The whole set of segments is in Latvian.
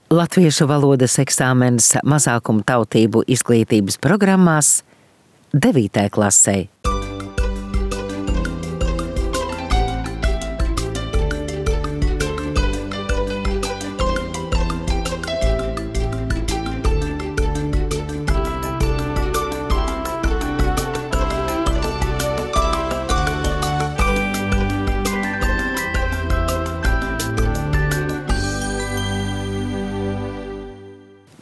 Latviešu valodas eksāmenis mazākumu tautību izglītības programmās 9. klasē.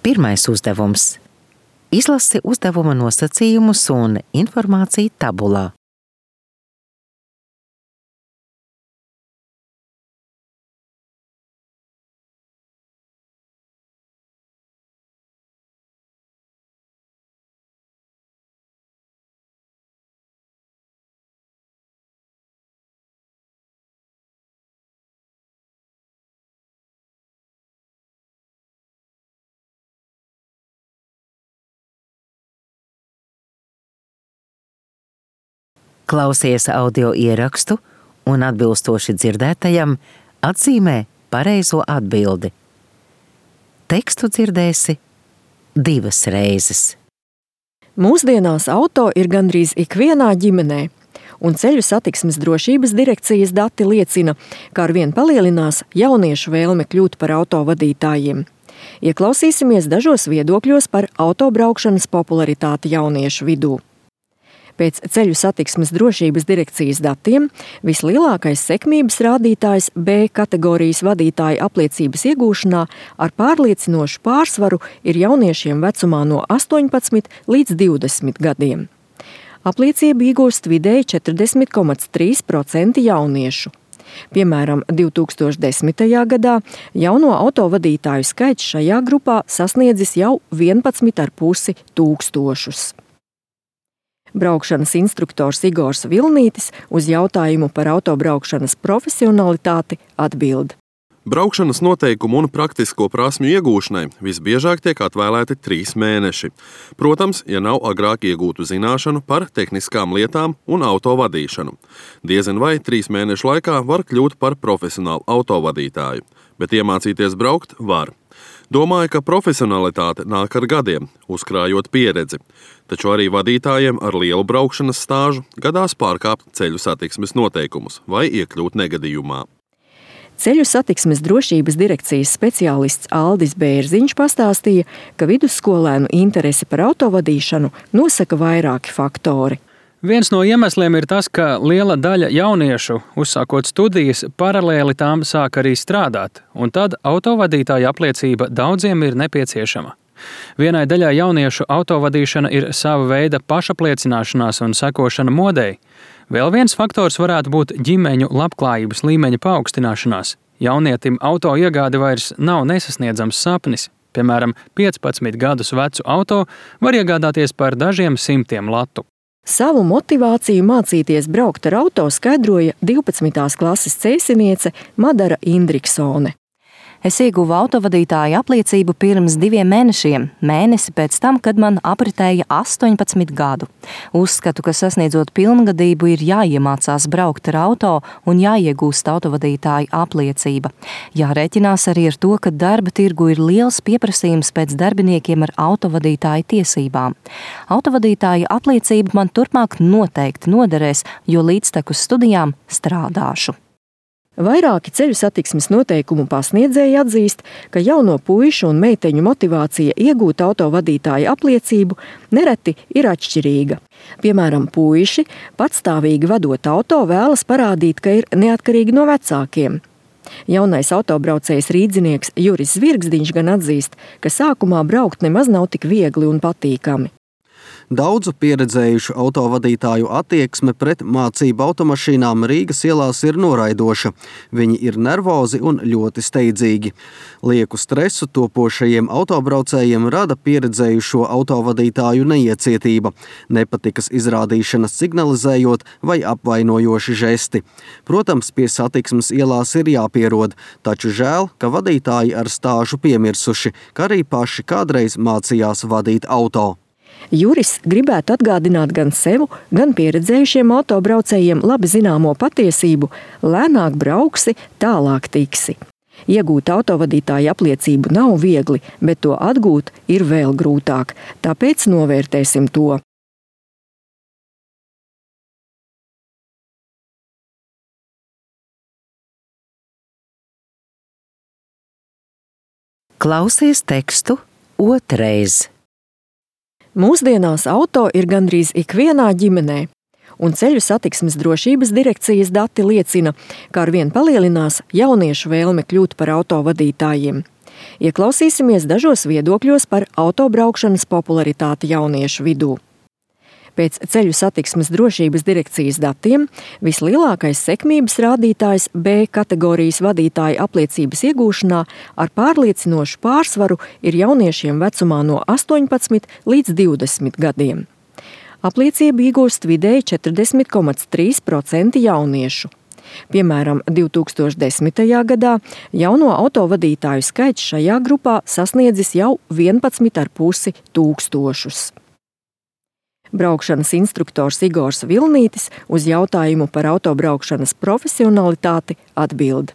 Pirmais uzdevums. Izlasi uzdevuma nosacījumus un informāciju tabulā. Klausies audio ierakstu un atbilstoši dzirdētajam atzīmē pareizo atbildi. Tekstu dzirdēsi 2 reizes. Mūsdienās auto ir gandrīz ikvienā ģimenē, un Ceļu satiksmes drošības direkcijas dati liecina, ka arvien palielinās jauniešu vēlme kļūt par autovadītājiem. Ieklausīsimies dažos viedokļos par autobraukšanas popularitāti jauniešu vidū. Pēc Ceļu satiksmes drošības direkcijas datiem vislielākais sekmības rādītājs B kategorijas vadītāja apliecības iegūšanā ar pārliecinošu pārsvaru ir jauniešiem vecumā no 18 līdz 20 gadiem. Apliecību iegūst vidēji 40,3% jauniešu. Piemēram, 2010. gadā jauno autovadītāju skaits šajā grupā sasniedzis jau 11,5 tūkstošus. Braukšanas instruktors Igors Vilnītis uz jautājumu par autobraukšanas profesionalitāti atbild. Braukšanas noteikumu un praktisko prasmju iegūšanai visbiežāk tiek atvēlēti 3 mēneši. Protams, ja nav agrāk iegūtu zināšanu par tehniskām lietām un autovadīšanu. Diezin vai 3 mēnešu laikā var kļūt par profesionālu autovadītāju, bet iemācīties braukt var. Domāju, ka profesionalitāte nāk ar gadiem, uzkrājot pieredzi, taču arī vadītājiem ar lielu braukšanas stāžu gadās pārkāpt ceļu satiksmes noteikumus vai iekļūt negadījumā. Ceļu satiksmes drošības direkcijas speciālists Aldis Bērziņš pastāstīja, ka vidusskolēnu interesi par autovadīšanu nosaka vairāki faktori. Viens no iemesliem ir tas, ka liela daļa jauniešu, uzsākot studijas, paralēli tām sāk arī strādāt, un tad autovadītāja apliecība daudziem ir nepieciešama. Vienai daļai jauniešu autovadīšana ir sava veida pašapliecināšanās un sekošana modei. Vēl viens faktors varētu būt ģimeņu labklājības līmeņa paaugstināšanās. Jaunietim auto iegāde vairs nav nesasniedzams sapnis. Piemēram, 15 gadus vecu auto var iegādāties par dažiem simtiem latu. Savu motivāciju mācīties braukt ar auto skaidroja 12. klases ceļsiniece Madara Indriksone. Es ieguvu autovadītāja apliecību pirms 2 mēnešiem, mēnesi pēc tam, kad man apritēja 18 gadu. Uzskatu, ka sasniedzot pilngadību ir jāiemācās braukt ar auto un jāiegūst autovadītāja apliecība. Jārēķinās arī ar to, ka darba tirgu ir liels pieprasījums pēc darbiniekiem ar autovadītāja tiesībām. Autovadītāja apliecība man turpmāk noteikti noderēs, jo līdztekus studijām strādāšu. Vairāki ceļu satiksmes noteikumu pasniedzēji atzīst, ka jauno puišu un meiteņu motivācija iegūt autovadītāja apliecību nereti ir atšķirīga. Piemēram, puiši patstāvīgi vadot auto vēlas parādīt, ka ir neatkarīgi no vecākiem. Jaunais autobraucējs rīdzinieks Juris Zvirgzdiņš gan atzīst, ka sākumā braukt nemaz nav tik viegli un patīkami. Daudzu pieredzējušu autovadītāju attieksme pret mācību automašīnām Rīgas ielās ir noraidoša. Viņi ir nervozi un ļoti steidzīgi. Lieku stresu topošajiem autobraucējiem rada pieredzējušo autovadītāju neiecietība, nepatikas izrādīšanas signalizējot vai apvainojoši žesti. Protams, pie satiksmes ielās ir jāpierod, taču žēl, ka vadītāji ar stāžu piemirsuši, ka arī paši kādreiz mācījās vadīt auto. Juris gribētu atgādināt gan sev, gan pieredzējušiem autobraucējiem labi zināmo patiesību – lēnāk brauksi, tālāk tiksi. Iegūt autovadītāja apliecību nav viegli, bet to atgūt ir vēl grūtāk. Tāpēc novērtēsim to. Klausies tekstu otrreiz. Mūsdienās auto ir gandrīz ikvienā ģimenē, un Ceļu satiksmes drošības direkcijas dati liecina, ka arvien palielinās jauniešu vēlme kļūt par autovadītājiem. Ieklausīsimies dažos viedokļos par autobraukšanas popularitāti jauniešu vidū. Pēc Ceļu satiksmes drošības direkcijas datiem vislielākais sekmības rādītājs B kategorijas vadītāja apliecības iegūšanā ar pārliecinošu pārsvaru ir jauniešiem vecumā no 18 līdz 20 gadiem. Apliecību iegūst vidēji 40,3% jauniešu. Piemēram, 2010. gadā jauno autovadītāju skaits šajā grupā sasniedzis jau 11,5 tūkstošus. Braukšanas instruktors Igors Vilnītis uz jautājumu par autobraukšanas profesionalitāti atbild.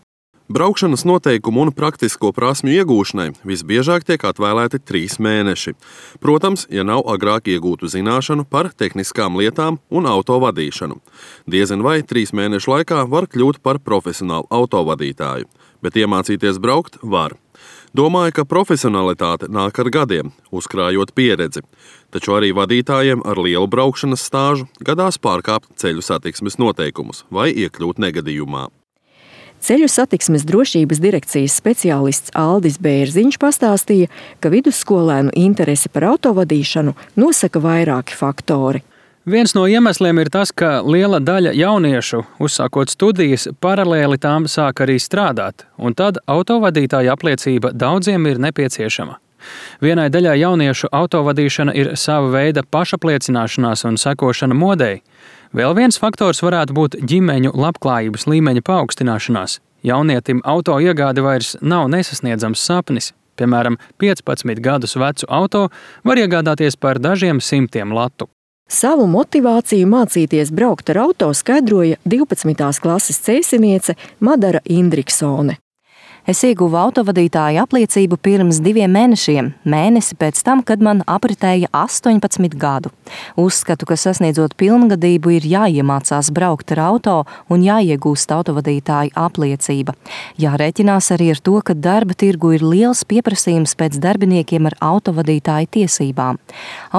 Braukšanas noteikumu un praktisko prasmju iegūšanai visbiežāk tiek atvēlēti 3 mēneši. Protams, ja nav agrāk iegūtu zināšanu par tehniskām lietām un autovadīšanu. Diezin vai 3 mēnešu laikā var kļūt par profesionālu autovadītāju, bet iemācīties braukt var. Domāju, ka profesionalitāte nāk ar gadiem, uzkrājot pieredzi, taču arī vadītājiem ar lielu braukšanas stāžu gadās pārkāpt ceļu satiksmes noteikumus vai iekļūt negadījumā. Ceļu satiksmes drošības direkcijas speciālists Aldis Bērziņš pastāstīja, ka vidusskolēnu interesi par autovadīšanu nosaka vairāki faktori. Viens no iemesliem ir tas, ka liela daļa jauniešu, uzsākot studijas, paralēli tām sāk arī strādāt, un tad autovadītāja apliecība daudziem ir nepieciešama. Vienai daļai jauniešu autovadīšana ir sava veida pašapliecināšanās un sekošana modei. Vēl viens faktors varētu būt ģimeņu labklājības līmeņa paaugstināšanās. Jaunietim auto iegāde vairs nav nesasniedzams sapnis. Piemēram, 15 gadus vecu auto var iegādāties par dažiem simtiem latu. Savu motivāciju mācīties braukt ar auto skaidroja 12. klases cēsiniece Madara Indriksone. Es ieguvu autovadītāja apliecību pirms 2 mēnešiem, mēnesi pēc tam, kad man apritēja 18 gadu. Uzskatu, ka sasniedzot pilngadību ir jāiemācās braukt ar auto un jāiegūst autovadītāja apliecība. Jārēķinās arī ar to, ka darba tirgu ir liels pieprasījums pēc darbiniekiem ar autovadītāja tiesībām.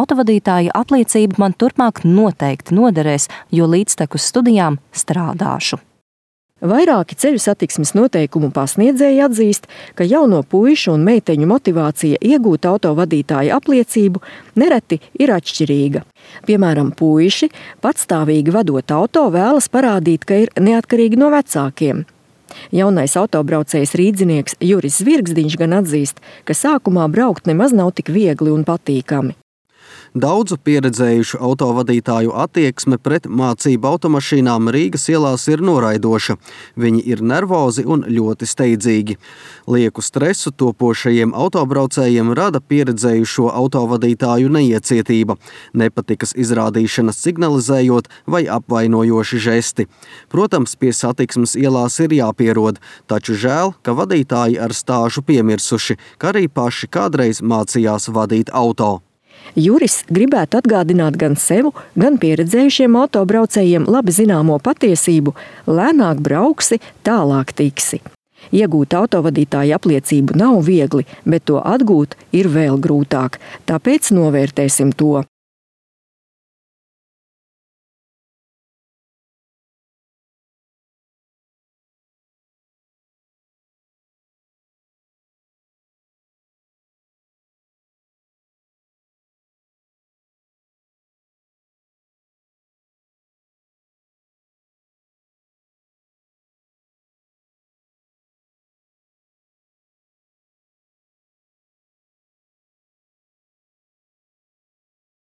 Autovadītāja apliecība man turpmāk noteikti noderēs, jo līdztekus studijām strādāšu. Vairāki ceļu satiksmes noteikumu pasniedzēji atzīst, ka jauno puišu un meiteņu motivācija iegūt autovadītāja apliecību nereti ir atšķirīga. Piemēram, puiši patstāvīgi vadot auto vēlas parādīt, ka ir neatkarīgi no vecākiem. Jaunais autobraucējs rīdzinieks Juris Zvirgzdiņš gan atzīst, ka sākumā braukt nemaz nav tik viegli un patīkami. Daudzu pieredzējušu autovadītāju attieksme pret mācību automašīnām Rīgas ielās ir noraidoša. Viņi ir nervozi un ļoti steidzīgi. Lieku stresu topošajiem autobraucējiem rada pieredzējušo autovadītāju neiecietība, nepatikas izrādīšanas signalizējot vai apvainojoši žesti. Protams, pie satiksmes ielās ir jāpierod, taču žēl, ka vadītāji ar stāžu piemirsuši, ka arī paši kādreiz mācījās vadīt auto. Juris gribētu atgādināt gan sev, gan pieredzējušiem autobraucējiem labi zināmo patiesību – lēnāk brauksi, tālāk tiksi. Iegūt autovadītāja apliecību nav viegli, bet to atgūt ir vēl grūtāk, tāpēc novērtēsim to.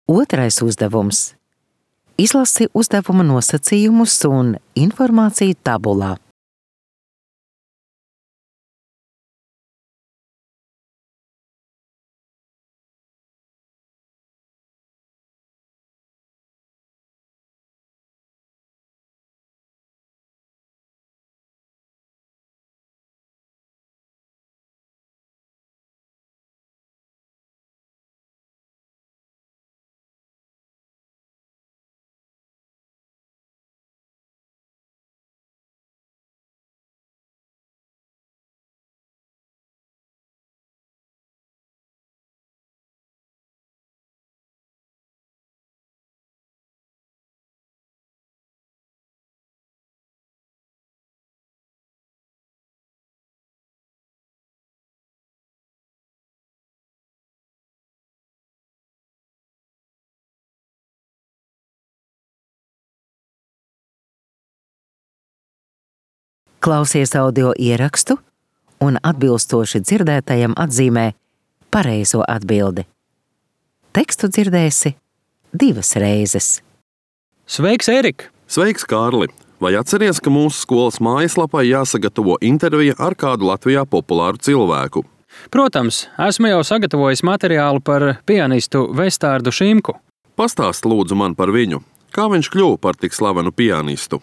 Otrais uzdevums. Izlasi uzdevuma nosacījumus un informāciju tabulā. Klausies audio ierakstu un atbilstoši dzirdētajam atzīmē pareizo atbildi. Tekstu dzirdēsi 2 reizes. Sveiks, Erika! Sveiks, Kārli! Vai atceries, ka mūsu skolas mājaslapai jāsagatavo intervija ar kādu Latvijā populāru cilvēku? Protams, esmu jau sagatavojis materiālu par pianistu Vestārdu Šimku. Pastāst lūdzu man par viņu. Kā viņš kļuva par tik slavenu pianistu?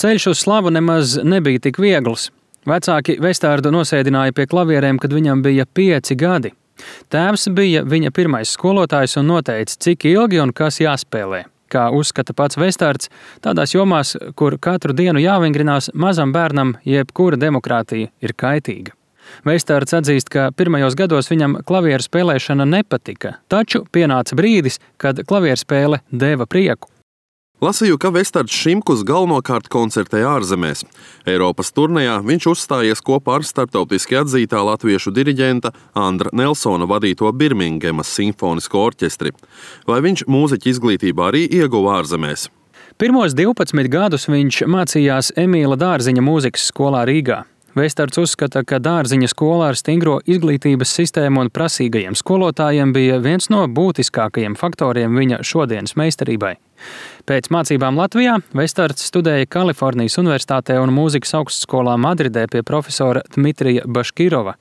Ceļš uz slavu nemaz nebija tik viegls. Vecāki Vestārdu nosēdināja pie klavierēm, kad viņam bija 5 gadi. Tēvs bija viņa pirmais skolotājs un noteica, cik ilgi un kas jāspēlē. Kā uzskata pats Vestārds, tādās jomās, kur katru dienu jāvingrinās, mazam bērnam jebkura demokrātija ir kaitīga. Vestārds atzīst, ka pirmajos gados viņam klavieru spēlēšana nepatika, taču pienāca brīdis, kad klavieru spēle deva prieku. Lasīju, ka Vestārds Šimkus galvenokārt koncertē ārzemēs. Eiropas turnejā viņš uzstājies kopā ar starptautiski atzītā latviešu diriģenta Andra Nelsona vadīto Birmingemas simfonisko orķestri. Vai viņš mūziķa izglītībā arī ieguva ārzemēs? Pirmos 12 gadus viņš mācījās Emīla Dārziņa mūzikas skolā Rīgā. Vestārds uzskata, ka Dārziņa skola ar stingro izglītības sistēmu un prasīgajiem skolotājiem bija viens no būtiskākajiem faktoriem viņa šodienas meistarībai. Pēc mācībām Latvijā Vestārds studēja Kalifornijas Universitātē un mūzikas augstskolā Madridē pie profesora Dmitrija Baškirova.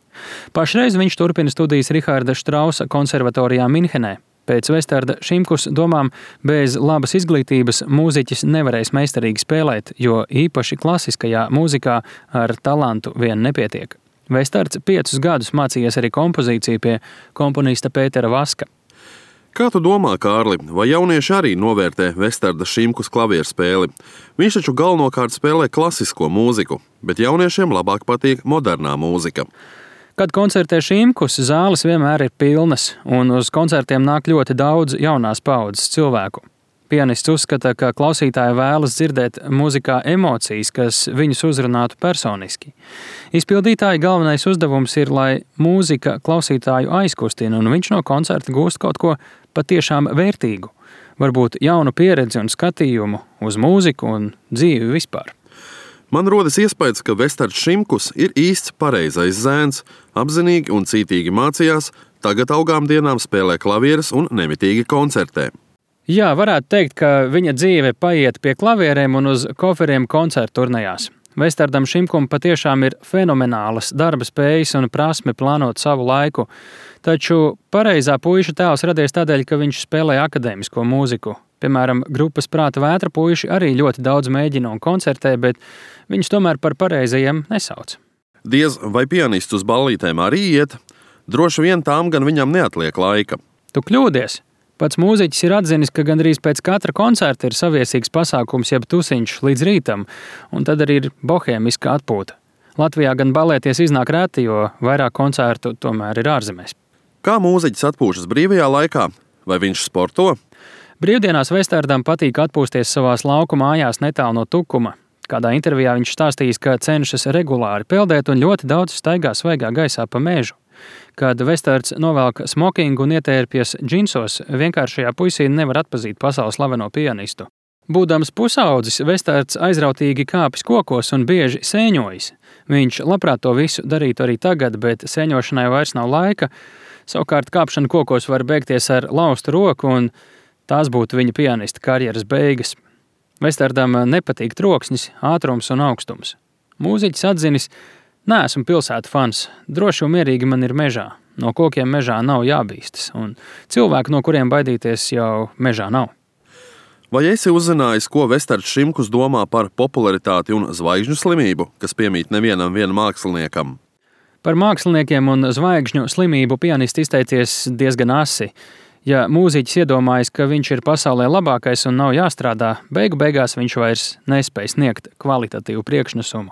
Pašreiz viņš turpina studijas Riharda Štrausa konservatorijā Minhenē. Pēc Vestārda Šimkus domām, bez labas izglītības mūziķis nevarēs meistarīgi spēlēt, jo īpaši klasiskajā mūzikā ar talantu vien nepietiek. Vestārds 5 gadus mācījies arī kompozīciju pie komponista Pētera Vaska. Kā tu domā, Kārli, vai jaunieši arī novērtē Vestārda Šimkus klavieru spēli? Viņš taču galvenokārt spēlē klasisko mūziku, bet jauniešiem labāk patīk modernā mūzika. Kad koncertē Šimkus, zāles vienmēr ir pilnas, un uz koncertiem nāk ļoti daudz jaunās paaudzes cilvēku. Pianists uzskata, ka klausītāji vēlas dzirdēt mūzikā emocijas, kas viņus uzrunātu personiski. Izpildītāja galvenais uzdevums ir, lai mūzika klausītāju aizkustina, un viņš no koncerta gūst kaut ko patiešām vērtīgu. Varbūt jaunu pieredzi un skatījumu uz mūziku un dzīvi vispār. Man rodas iespējas, ka Vestārds Šimkus ir īsts pareizais zēns, apzinīgi un cītīgi mācījās, tagad augām dienām spēlē klavieres un nemitīgi koncertē. Jā, varētu teikt, ka viņa dzīve paiet pie klavierēm un uz koferiem koncertu turnejās. Vestārdam Šimkum patiešām ir fenomenālas darba spējas un prasme plānot savu laiku, taču pareizā puiša tēls radies tādēļ, ka viņš spēlē akadēmisko mūziku. Piemēram, grupas Prāta vētra puiši arī ļoti daudz mēģina un koncertē, bet viņus tomēr par pareizajiem nesauc. Diez vai pianists uz ballītēm arī iet? Droši vien tām gan viņam neatliek laika. Tu kļūdies! Pats mūziķis ir atzinis, ka gandrīz pēc katra koncerta ir saviesīgs pasākums jeb tusiņš līdz rītam, un tad arī ir bohēmiska atpūta. Latvijā gan balēties iznāk reti, jo vairāk koncertu tomēr ir ārzemēs. Kā mūziķis atpūšas brīvajā laikā? Vai viņš sporto? Brīvdienās Vestārdam patīk atpūsties savās lauku mājās netālu no Tukuma. Kādā intervijā viņš stāstījis, ka cenšas regulāri peldēt un ļoti daudz staigā svaigā gaisā pa mežu. Kad Vestārds novelk smokingu un ietērpjas džinsos, vienkāršajā puisī nevar atpazīt pasaules slaveno pianistu. Būdams pusaudzis, Vestārds aizrautīgi kāpis kokos un bieži sēņojas. Viņš labprāt to visu darītu arī tagad, bet sēņošanai vairs nav laika. Savukārt kāpšana kokos var beigties ar laustu roku, un tās būtu viņa pianista karjeras beigas. Vestārdam nepatīk troksnis, ātrums un augstums. Mūziķis atzinis: neesmu pilsētu fans, droši un mierīgi man ir mežā. No kokiem mežā nav jābīstas, un cilvēku, no kuriem baidīties, jau mežā nav. Vai esi uzzinājis, ko Vestārds Šimkus domā par popularitāti un zvaigžņu slimību, kas piemīt nevienam māksliniekam? Par māksliniekiem un zvaigžņu slimību pianists izteicies diezgan asi. Ja mūziķis iedomājas, ka viņš ir pasaulē labākais un nav jāstrādā, beigās viņš vairs nespēj sniegt kvalitatīvu priekšnesumu.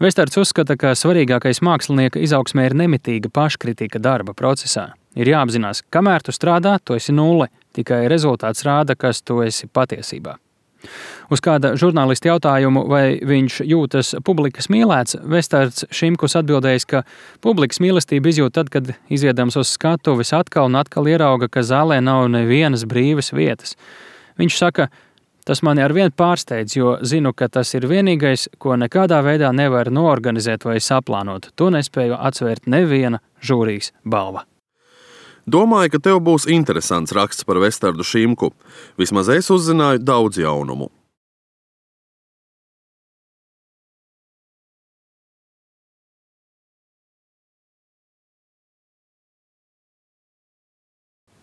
Vestārds uzskata, ka svarīgākais mākslinieka izaugsmē ir nemitīga paškritika darba procesā. Ir jāapzinās, kamēr tu strādā, tu esi nulle, tikai rezultāts rāda, kas tu esi patiesībā. Uz kāda žurnālista jautājumu, vai viņš jūtas publikas mīlēts, Vestārds Šimkus atbildējis, ka publikas mīlestību izjūt tad, kad izviedams uz skatuves atkal un atkal ierauga, ka zālē nav nevienas brīvas vietas. Viņš saka: Tas mani arvien pārsteidz, jo zinu, ka tas ir vienīgais, ko nekādā veidā nevar noorganizēt vai saplānot. To nespēju atsvērt neviena žūrijas balva. Domāju, ka tev būs interesants raksts par Vestardu Šimku. Vismaz es uzzināju daudz jaunumu.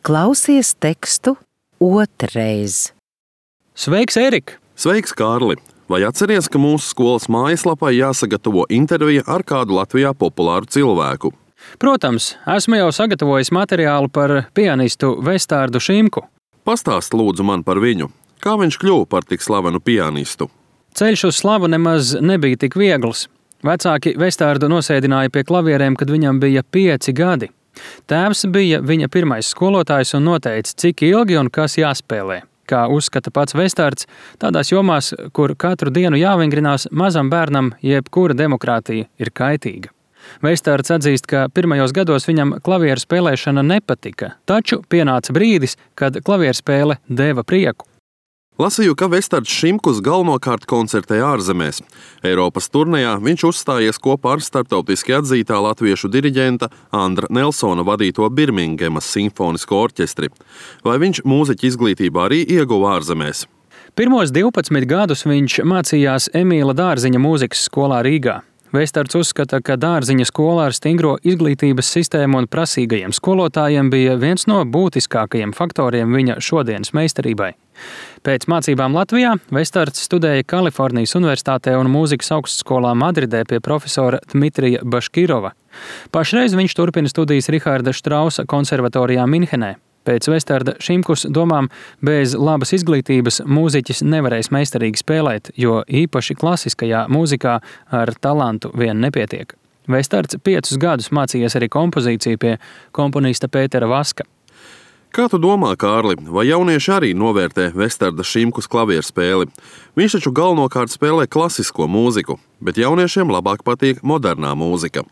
Klausies tekstu otrreiz. Sveiks, Erika! Sveiks, Kārli! Vai atceries, ka mūsu skolas mājaslapai jāsagatavo intervija ar kādu Latvijā populāru cilvēku? Protams, esmu jau sagatavojis materiālu par pianistu Vestardu Šimku. Pastāst lūdzu man par viņu. Kā viņš kļuva par tik slavenu pianistu? Ceļš uz slavu nemaz nebija tik viegls. Vecāki Vestardu nosēdināja pie klavierēm, kad viņam bija 5 gadi. Tēvs bija viņa pirmais skolotājs un noteica, cik ilgi un kas jāspēlē. Kā uzskata pats Vestards, tādās jomās, kur katru dienu jāvingrinās, mazam bērnam jebkura demokrātija ir kaitīga. Vestards atzīst, ka pirmajos gados viņam klavieru spēlēšana nepatika, taču pienāca brīdis, kad klavieru spēle deva prieku. Lasīju, ka Vestards Šimkus galvenokārt koncertē ārzemēs. Eiropas turnejā viņš uzstājies kopā ar starptautiski atzītā latviešu diriģenta Andra Nelsona vadīto Birmingemas simfonisko orķestri. Vai viņš mūziķa izglītībā arī ieguva ārzemēs? Pirmos 12 gadus viņš mācījās Emīla Dārziņa mūzikas skolā Rīgā. Vestards uzskata, ka Dārziņa skola ar stingro izglītības sistēmu un prasīgajiem skolotājiem bija viens no būtiskākajiem faktoriem viņa šodienas meistarībai. Pēc mācībām Latvijā Vestards studēja Kalifornijas Universitātē un mūzikas augstskolā Madridē pie profesora Dmitrija Baškirova. Pašreiz viņš turpina studijas Riharda Štrausa konservatorijā Minhenē. Pēc Vestarda Šimkus domām, bez labas izglītības mūziķis nevarēs meistarīgi spēlēt, jo īpaši klasiskajā mūzikā ar talantu vien nepietiek. Vestards 5 gadus mācījies arī kompozīciju pie komponista Pētera Vaska. Kā tu domā, Kārli, vai jaunieši arī novērtē Vestarda Šimkus klavieru spēli? Viņš taču galvenokārt spēlē klasisko mūziku, bet jauniešiem labāk patīk modernā mūzika.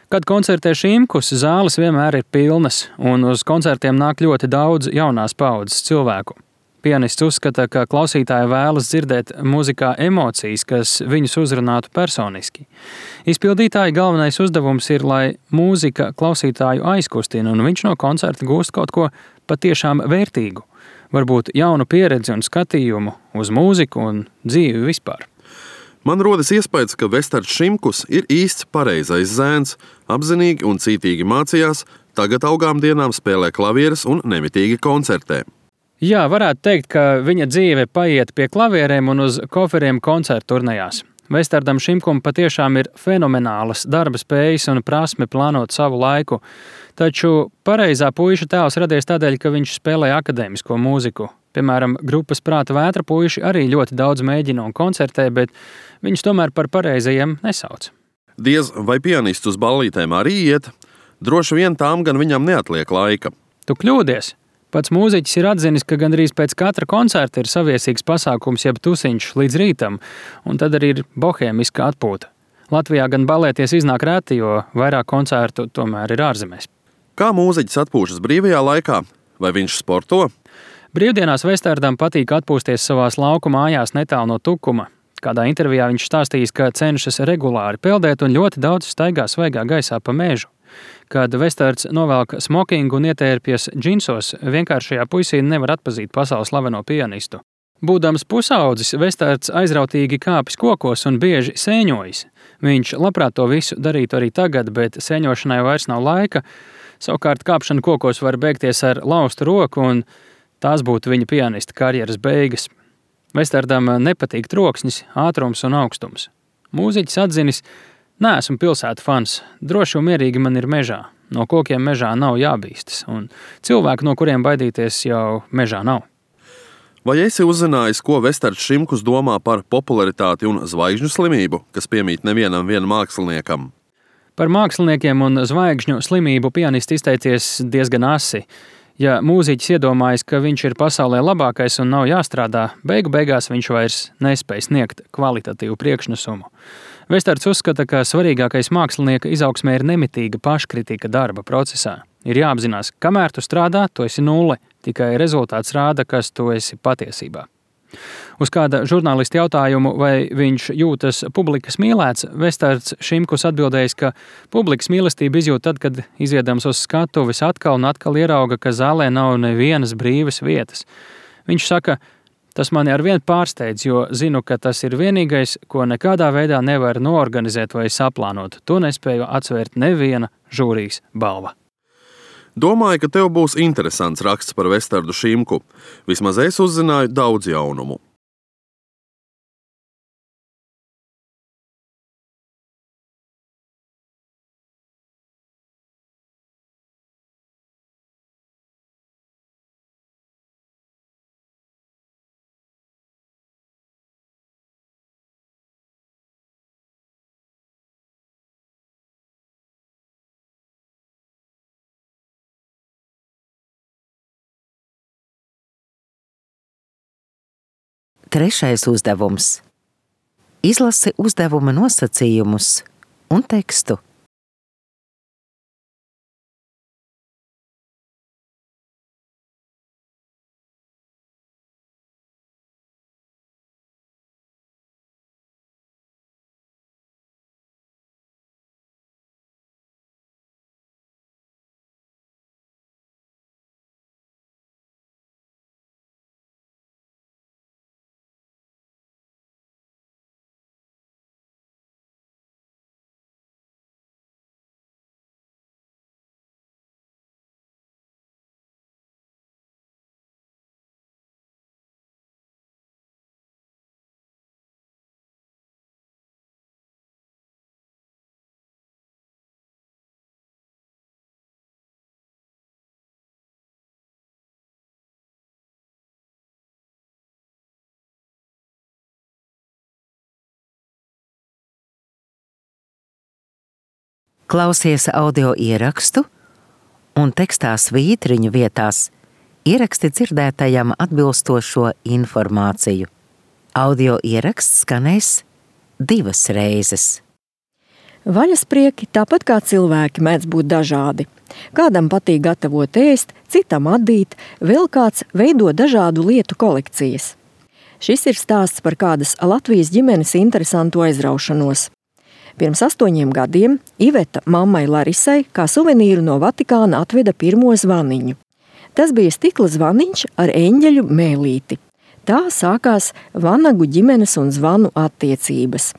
Kad koncertē Šimkus, zāles vienmēr ir pilnas, un uz koncertiem nāk ļoti daudz jaunās paaudzes cilvēku. Pianists uzskata, ka klausītāji vēlas dzirdēt mūzikā emocijas, kas viņus uzrunātu personiski. Izpildītāja galvenais uzdevums ir, lai mūzika klausītāju aizkustina, un viņš no koncerta gūst kaut ko patiešām vērtīgu. Varbūt jaunu pieredzi un skatījumu uz mūziku un dzīvi vispār. Man rodas iespējas, ka Vestards Šimkus ir īsts pareizais zēns, apzinīgi un cītīgi mācījās, tagad augām dienām spēlē klavieres un nemitīgi koncertē. Jā, varētu teikt, ka viņa dzīve paiet pie klavierēm un uz koferiem koncertu turnejās. Vestardam Šimkum patiešām ir fenomenālas darba spējas un prasme plānot savu laiku, taču pareizā puiša tēls radies tādēļ, ka viņš spēlē akadēmisko mūziku. Piemēram, grupas Prāta vētra puiši arī ļoti daudz mēģina un koncertē, bet viņus tomēr par pareizajiem nesauc. Diez vai pianists uz ballītēm arī iet? Droši vien tām gan viņam neatliek laika. Tu kļūdies! Pats mūziķis ir atzinis, ka gandrīz pēc katra koncerta ir saviesīgs pasākums jeb tusiņš līdz rītam, un tad arī ir bohēmiska atpūta. Latvijā gan balēties iznāk reti, jo vairāk koncertu tomēr ir ārzemēs. Kā mūziķis atpūšas brīvajā laikā? Vai viņš sporto? Brīvdienās Vestardam patīk atpūsties savās lauku mājās netālu no Tukuma. Kādā intervijā viņš stāstījis, ka cenšas regulāri peldēt un ļoti daudz staigā svaigā gaisā pa mežu. Kad Vestards novelk smokingu un ietērpjas džinsos, vienkāršajā puisī nevar atpazīt pasaules slaveno pianistu. Būdams pusaudzis, Vestards aizrautīgi kāpis kokos un bieži sēņojis. Viņš labprāt to visu darītu arī tagad, bet sēņošanai vairs nav laika. Savukārt kāpšana kokos var beigties ar laustu roku, un tās būtu viņa pianista karjeras beigas. Vestardam nepatīk troksnis, ātrums un augstums. Mūziķis atzinis: neesmu pilsētu fans, droši un mierīgi man ir mežā. No kokiem mežā nav jābīstas, un cilvēku, no kuriem baidīties, jau mežā nav. Vai esi uzzinājis, ko Vestards Šimkus domā par popularitāti un zvaigžņu slimību, kas piemīt nevienam māksliniekam? Par māksliniekiem un zvaigžņu slimību pianists izteicies diezgan asi. Ja mūziķis iedomājas, ka viņš ir pasaulē labākais un nav jāstrādā, beigās viņš vairs nespēj sniegt kvalitatīvu priekšnesumu. Vestards uzskata, ka svarīgākais mākslinieka izaugsmē ir nemitīga paškritika darba procesā. Ir jāapzinās, kamēr tu strādā, tu esi nulle, tikai rezultāts rāda, kas tu esi patiesībā. Uz kāda žurnālista jautājumu, vai viņš jūtas publikas mīlēts, Vestards Šimkus atbildējis, ka publikas mīlestību izjūt tad, kad iziedams uz skatuves atkal un atkal ierauga, ka zālē nav nevienas brīvas vietas. Viņš saka, tas mani arvien pārsteidz, jo zinu, ka tas ir vienīgais, ko nekādā veidā nevar noorganizēt vai saplānot. To nespēju atsvērt neviena žūrijas balva. Domāju, ka tev būs interesants raksts par Vestardu Šimku. Vismaz es uzzināju daudz jaunumu. Trešais uzdevums. Izlasi uzdevuma nosacījumus un tekstu. Klausies audio ierakstu un tekstā svītriņu vietās ieraksti dzirdētajam atbilstošo informāciju. Audio ieraksts skanēs 2 reizes. Vaļasprieki, tāpat kā cilvēki, mēdz būt dažādi. Kādam patīk gatavot ēst, citam adīt, vēl kāds veido dažādu lietu kolekcijas. Šis ir stāsts par kādas Latvijas ģimenes interesantu aizraušanos. Pirms 8 gadiem Iveta mammai Larisai kā suvenīru no Vatikāna atveda pirmo zvaniņu. Tas bija stikla zvaniņš ar eņģeļu mēlīti. Tā sākās Vanagu ģimenes un zvanu attiecības.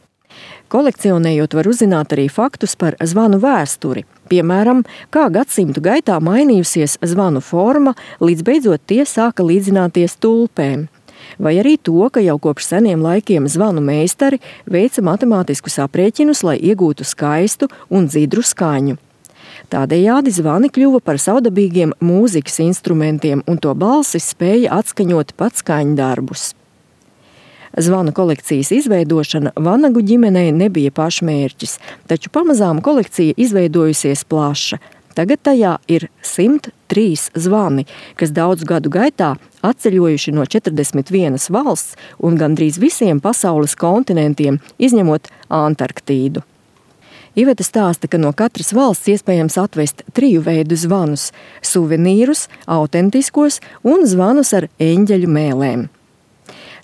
Kolekcionējot var uzzināt arī faktus par zvanu vēsturi. Piemēram, kā gadsimtu gaitā mainījusies zvanu forma, līdz beidzot tie sāka līdzināties tulpēm. Vai arī to, ka jau kopš seniem laikiem zvanu meistari veica matemātiskus aprēķinus, lai iegūtu skaistu un dzidru skaņu. Tādējādi zvani kļuva par savdabīgiem mūzikas instrumentiem, un to balsis spēja atskaņot pat skaņdarbus. Zvanu kolekcijas izveidošana Vanagu ģimenei nebija pašmērķis, taču pamazām kolekcija izveidojusies plaša. Tagad tajā ir 103 zvani, kas daudzu gadu gaitā atceļojuši no 41 valsts un gandrīz visiem pasaules kontinentiem, izņemot Antarktīdu. Iveta stāsta, ka no katras valsts iespējams atvest 3 veidu zvanus – suvenīrus, autentiskos un zvanus ar eņģeļu mēlēm.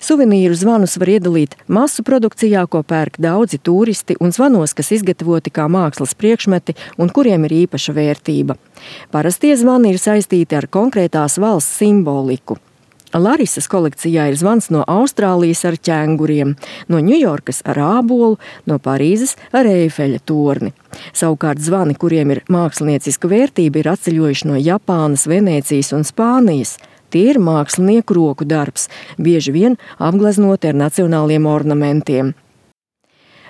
Suvenīru zvanus var iedalīt masu produkcijā, ko pērk daudzi turisti, un zvanos, kas izgatavoti kā mākslas priekšmeti un kuriem ir īpaša vērtība. Parastie zvani ir saistīti ar konkrētās valsts simboliku. Larisas kolekcijā ir zvans no Austrālijas ar ķēnguriem, no Ņujorkas ar ābolu, no Parīzes ar Eifeļa torni. Savukārt zvani, kuriem ir mākslinieciska vērtība, ir atceļojuši no Japānas, Venēcijas un Spānijas. Tie ir mākslinieku roku darbs, bieži vien apgleznoti ar nacionāliem ornamentiem.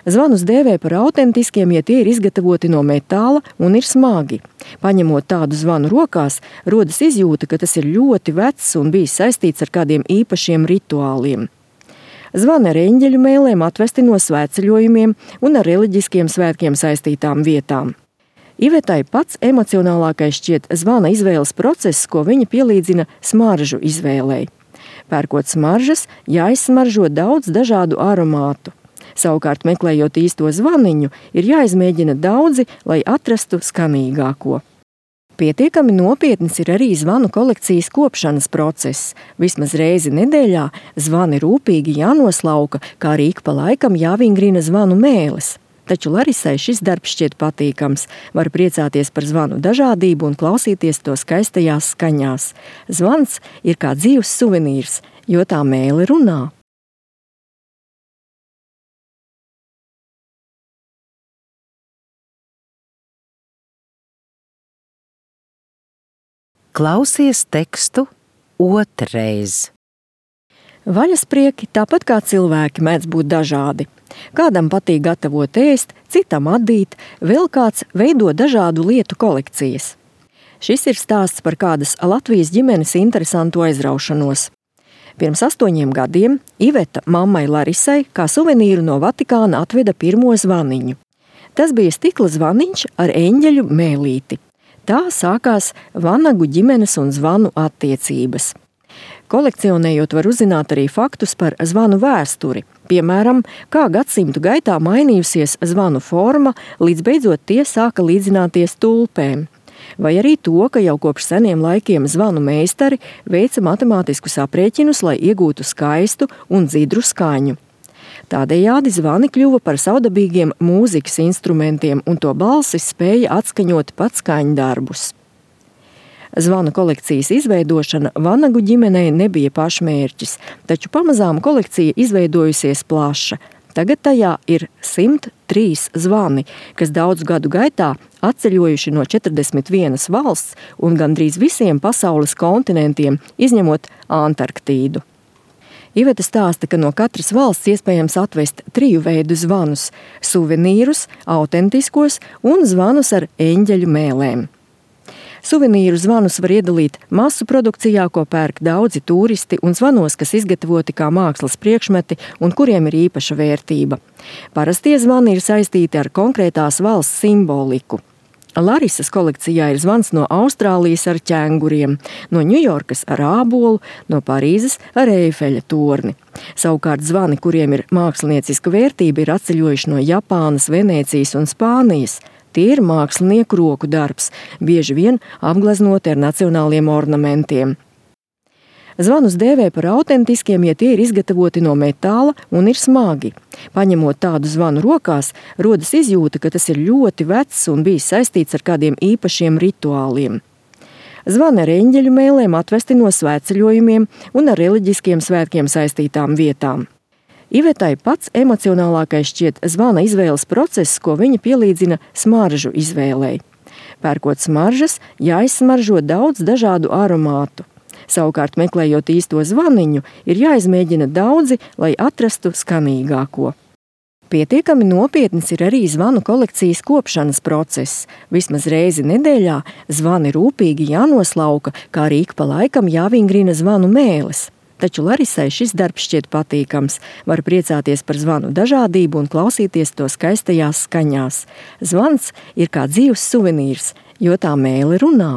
Zvanus dēvē par autentiskiem, ja tie ir izgatavoti no metāla un ir smagi. Paņemot tādu zvanu rokās, rodas izjūta, ka tas ir ļoti vecs un bijis saistīts ar kādiem īpašiem rituāliem. Zvani ar eņģeļu mēlēm atvesti no svētceļojumiem un ar reliģiskiem svētkiem saistītām vietām. Ivetai pats emocionālākais šķiet zvana izvēles process, ko viņa pielīdzina smaržu izvēlei. Pērkot smaržas, jāizsmaržo daudz dažādu aromātu. Savukārt, meklējot īsto zvaniņu, ir jāizmēģina daudzi, lai atrastu skanīgāko. Pietiekami nopietns ir arī zvanu kolekcijas kopšanas process. Vismaz reizi nedēļā zvani rūpīgi jānoslauka, kā arī ik pa laikam jāvingrina zvanu mēles. Taču Larisai šis darbs šķiet patīkams. Var priecāties par zvanu dažādību un klausīties to skaistajās skaņās. Zvans ir kā dzīves suvenīrs, jo tā mēle runā. Klausies tekstu otrreiz. Vaļasprieki, tāpat kā cilvēki, mēdz būt dažādi. Kādam patīk gatavot ēst, citam adīt, vēl kāds veido dažādu lietu kolekcijas. Šis ir stāsts par kādas Latvijas ģimenes interesantu aizraušanos. Pirms 8 gadiem Iveta mammai Larisai kā suvenīru no Vatikāna atveda pirmo zvaniņu. Tas bija stikla zvaniņš ar eņģeļu mēlīti. Tā sākās Vanagu ģimenes un zvanu attiecības. Kolekcionējot var uzzināt arī faktus par zvanu vēsturi. Piemēram, kā gadsimtu gaitā mainījusies zvanu forma, līdz beidzot tie sāka līdzināties tulpēm. Vai arī to, ka jau kopš seniem laikiem zvanu meistari veica matemātiskus aprēķinus, lai iegūtu skaistu un dzidru skaņu. Tādējādi zvani kļuva par savdabīgiem mūzikas instrumentiem, un to balsis spēja atskaņot pat skaņdarbus. Zvanu kolekcijas izveidošana Vanagu ģimenei nebija pašmērķis, taču pamazām kolekcija izveidojusies plaša. Tagad tajā ir 103 zvani, kas daudzu gadu gaitā atceļojuši no 41 valsts un gandrīz visiem pasaules kontinentiem, izņemot Antarktīdu. Iveta stāsta, ka no katras valsts iespējams atvest 3 veidu zvanus – suvenīrus, autentiskos un zvanus ar eņģeļu mēlēm. Suvenīru zvanus var iedalīt masu produkcijā, ko pērk daudzi turisti, un zvanos, kas izgatavoti kā mākslas priekšmeti un kuriem ir īpaša vērtība. Parastie zvani ir saistīti ar konkrētās valsts simboliku. Larisas kolekcijā ir zvans no Austrālijas ar ķēnguriem, no Ņujorkas ar ābolu, no Parīzes ar Eifeļa torni. Savukārt zvani, kuriem ir mākslinieciska vērtība, ir atceļojuši no Japānas, Venēcijas un Spānijas. Tie ir mākslinieku roku darbs, bieži vien apgleznoti ar nacionāliem ornamentiem. Zvanus dēvē par autentiskiem, ja tie ir izgatavoti no metāla un ir smagi. Paņemot tādu zvanu rokās, rodas izjūta, ka tas ir ļoti vecs un bijis saistīts ar kādiem īpašiem rituāliem. Zvani ar eņģeļu mēlēm atvesti no svētceļojumiem un ar reliģiskiem svētkiem saistītām vietām. Ivetai pats emocionālākais šķiet zvana izvēles process, ko viņa pielīdzina smaržu izvēlei. Pērkot smaržas, jāizsmaržo daudz dažādu aromātu. Savukārt, meklējot īsto zvaniņu, ir jāizmēģina daudzi, lai atrastu skanīgāko. Pietiekami nopietns ir arī zvanu kolekcijas kopšanas process. Vismaz reizi nedēļā zvani rūpīgi jānoslauka, kā arī ik pa laikam jāvingrina zvanu mēles. Taču Larisai šis darbs šķiet patīkams. Var priecāties par zvanu dažādību un klausīties to skaistajās skaņās. Zvans ir kā dzīves suvenīrs, jo tā mēle runā.